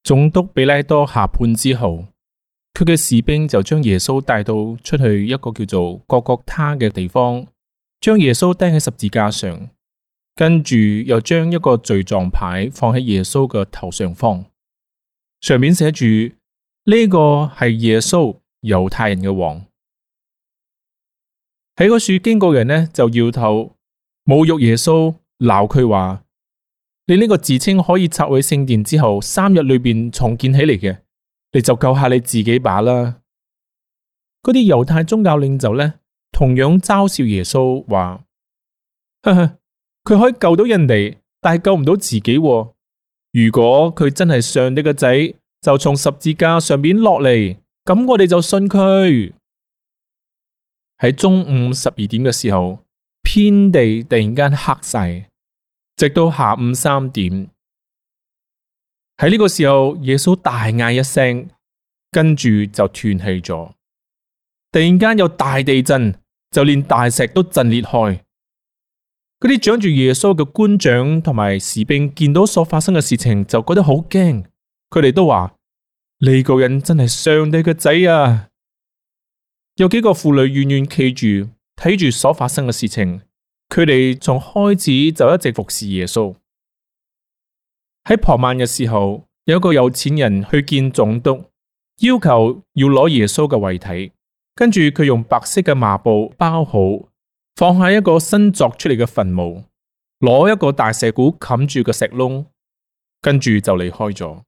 總督比拉多下判之後，佢嘅士兵就將耶穌帶到出去一個叫做各各他嘅地方，將耶穌釘喺十字架上，跟住又將一個罪狀牌放喺耶穌嘅頭上方，上面寫住呢個係耶穌，猶太人嘅王。喺嗰處經過人呢，就搖頭侮辱耶穌，鬧佢話：你呢個自稱可以拆毀聖殿之後3日裏邊重建起嚟嘅，你就救下你自己吧啦！嗰啲猶太宗教領袖呢，同樣嘲笑耶穌話：呵呵，佢可以救到人哋，但係救唔到自己喎。如果佢真係上帝嘅仔，就從十字架上面落嚟，咁我哋就信佢。喺中午12點嘅時候，遍地突然間黑晒，直到下午3點。喺呢個時候，耶穌大嗌一聲，跟住就斷氣咗。突然間有大地震，就連大石都震裂開。嗰啲掌住耶穌嘅官長同埋士兵見到所發生嘅事情，就覺得好驚。佢哋都話：呢個人真係上帝嘅仔啊！有幾個婦女遠遠企住睇住所發生嘅事情，佢哋從開始就一直服侍耶穌。喺傍晚嘅時候，有一個有錢人去見總督，要求要攞耶穌嘅遺體，跟住佢用白色嘅麻布包好，放喺一個新鑿出嚟嘅墳墓，攞一個大石鼓冚住個石窿，跟住就離開咗。